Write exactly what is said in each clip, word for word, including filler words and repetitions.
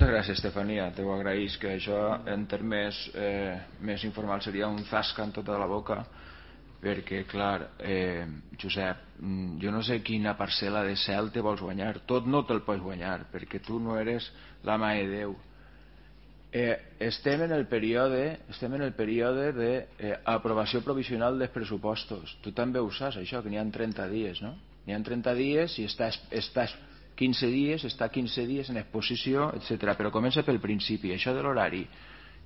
Moltes gràcies, Estefania, t'ho agraïs, que això en termes eh, més informals seria un zasca en tota la boca, perquè, clar, eh, Josep, jo no sé quina parcel·la de cel te vols guanyar, tot no te'l pots guanyar, perquè tu no eres la mà de Déu. Eh, estem en el període estem en el període d'aprovació eh, provisional dels pressupostos. Tu també ho saps, això, que n'hi ha trenta dies, no? N'hi ha trenta dies i estàs, estàs quinze dies, està quinze dies en exposició, etcètera. Però comença pel principi, això de l'horari.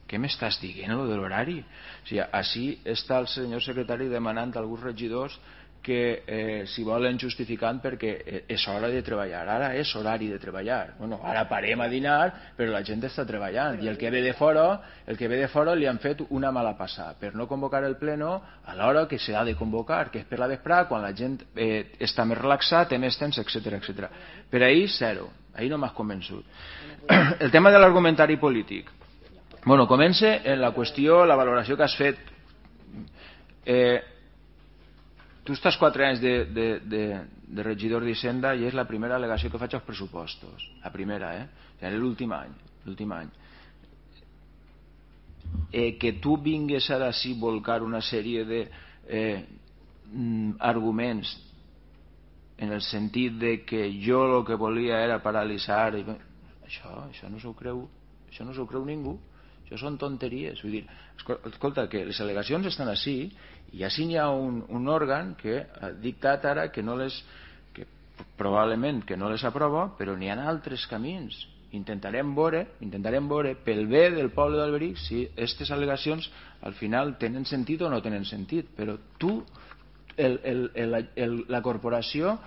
Què m'estàs dient, allò de l'horari? O sigui, així està el senyor secretari demanant a alguns regidors que eh, s'hi volen justificant perquè és hora de treballar. Ara és horari de treballar. Bueno, ara parem a dinar, però la gent està treballant. I el que ve de fora, el que ve de fora li han fet una mala passada per no convocar el pleno a l'hora que s'ha de convocar, que és per la vesprada, quan la gent eh, està més relaxada, té més temps, etcètera, etcètera. Per ahir, zero. Ahir no m'has convençut. El tema de l'argumentari polític. Bueno, comença en la qüestió, la valoració que has fet. Eh, tu estàs quatre anys de, de, de, de regidor d'Hisenda i és la primera al·legació que faig als pressupostos. La primera, eh? O sigui, l'últim any. L'últim any. Eh, que tu vingues ara sí volcar una sèrie de eh, arguments en el sentit de que jo el que volia era paralitzar i... això, això no s'ho creu això no s'ho creu ningú. Això són tonteries. Vull dir, escolta, que les al·legacions estan així i així hi ha un, un òrgan que ha dictat ara que no les que probablement que no les aprova, però n'hi ha altres camins. Intentarem veure, intentarem veure pel bé del poble d'Alberic si aquestes al·legacions al final tenen sentit o no tenen sentit. Però tu, el, el, el, el, la corporació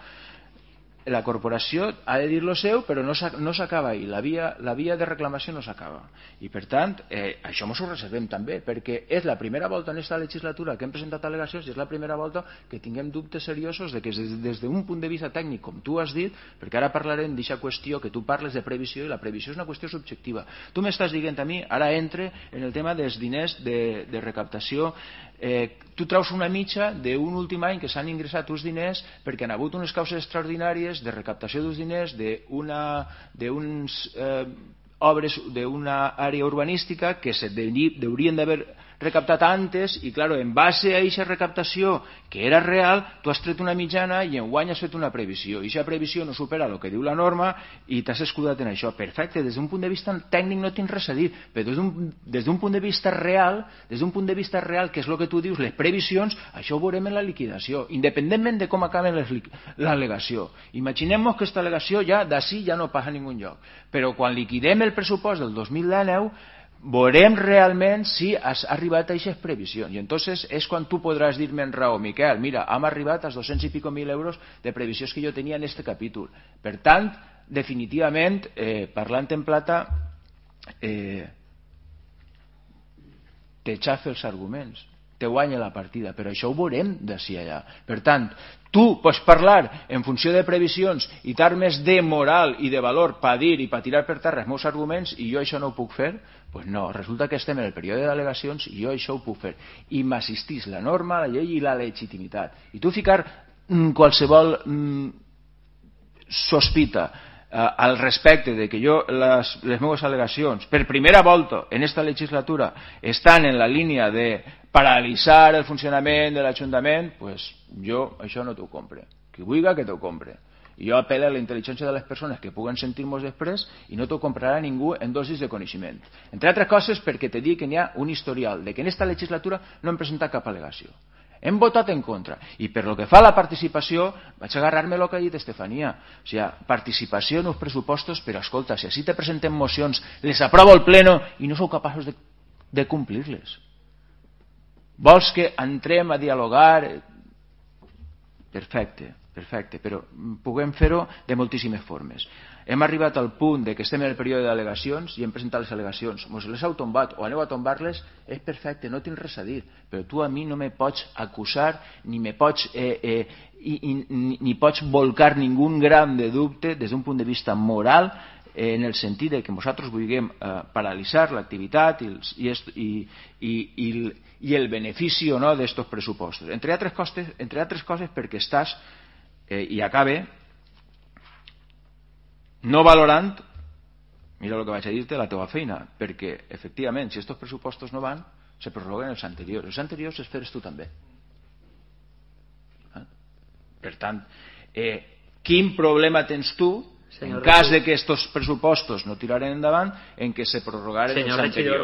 la corporació ha de dir lo seu, però no s'acaba ahir, la via, la via de reclamació no s'acaba, i per tant eh, això ens ho reservem també, perquè és la primera volta en aquesta legislatura que hem presentat al·legacions i és la primera volta que tinguem dubtes seriosos de que des, des d'un punt de vista tècnic, com tu has dit, perquè ara parlarem d'aquesta qüestió que tu parles de previsió, i la previsió és una qüestió subjectiva. Tu m'estàs dient a mi, ara entre en el tema dels diners de, de recaptació. Eh, tu traus una mitja d'un últim any que s'han ingressat uns diners perquè han hagut unes causes extraordinàries de recaptació dels diners d'unes eh, obres d'una àrea urbanística que se deurien d'haver recaptat antes i, claro, en base a aquesta recaptació que era real, tu has tret una mitjana i enguany has fet una previsió. I aquesta previsió no supera el que diu la norma i t'has escudat en això. Perfecte, des d'un punt de vista tècnic no tinc res a dir, però des d'un punt de vista real, des d'un punt de vista real, que és el que tu dius, les previsions, això ho veurem en la liquidació, independentment de com acaben l'al·legació. Imaginem-nos que aquesta al·legació ja d'ací ja no passa a ningun lloc, però quan liquidem el pressupost del dos mil dinou veurem realment si has arribat a aquestes previsions, i entonces és quan tu podràs dir-me en raó, Miquel, mira, hem arribat als dos-cents i pico mil euros de previsions que jo tenia en este capítol. Per tant, definitivament, eh, parlant en plata, eh, te xafa els arguments, te guanya la partida, però això ho veurem d'ací allà. Per tant, tu pots parlar en funció de previsions i t'armes de moral i de valor per dir i per tirar per terra els meus arguments i jo això no ho puc fer? Doncs no, resulta que estem en el període d'al·legacions i jo això ho puc fer. I m'assistís la norma, la llei i la legitimitat. I tu ficar mm, qualsevol mm, sospita eh, al respecte de que jo les, les meves al·legacions per primera volta en esta legislatura estan en la línia de paralitzar el funcionament de l'Ajuntament, pues jo això no t'ho compre. Qui vulgui que t'ho compre. I jo apel·lo a la intel·ligència de les persones que puguen sentir-nos després i no t'ho comprarà ningú en dosis de coneixement. Entre altres coses perquè te dic que n'hi ha un historial de que en aquesta legislatura no hem presentat cap al·legació. Hem votat en contra. I per lo que fa a la participació, vaig agarrar-me el que ha dit Estefania. O sigui, participació en els pressupostos, però escolta, si així te presentem mocions, les aprova el pleno i no sou capaços de, de complir-les. Vols que entrem a dialogar? Perfecte, perfecte, però puguem fer-ho de moltíssimes formes. Hem arribat al punt de que estem en el període d'al·legacions i hem presentat les al·legacions. Mos les heu tombat o aneu a tombar-les, és perfecte, no tinc res a dir, però tu a mi no me pots acusar ni me pots eh, eh, i, i, ni, ni pots volcar ningú gram de dubte des d'un punt de vista moral, eh, en el sentit de que nosaltres vulguem eh, paralitzar l'activitat i, i, i, i, i, i el benefici o no d'estos pressupostos. Entre altres coses, entre altres coses perquè estàs, eh, i acabe, no valorant mira el que vaig a dir-te, la teva feina, perquè efectivament si aquests pressupostos no van se prorroguen els anteriors, els anteriors els feres tu també. Eh? Per tant, eh, quin problema tens tu en cas de que aquests pressupostos no tiraren endavant en què se prorrogaren els anteriors?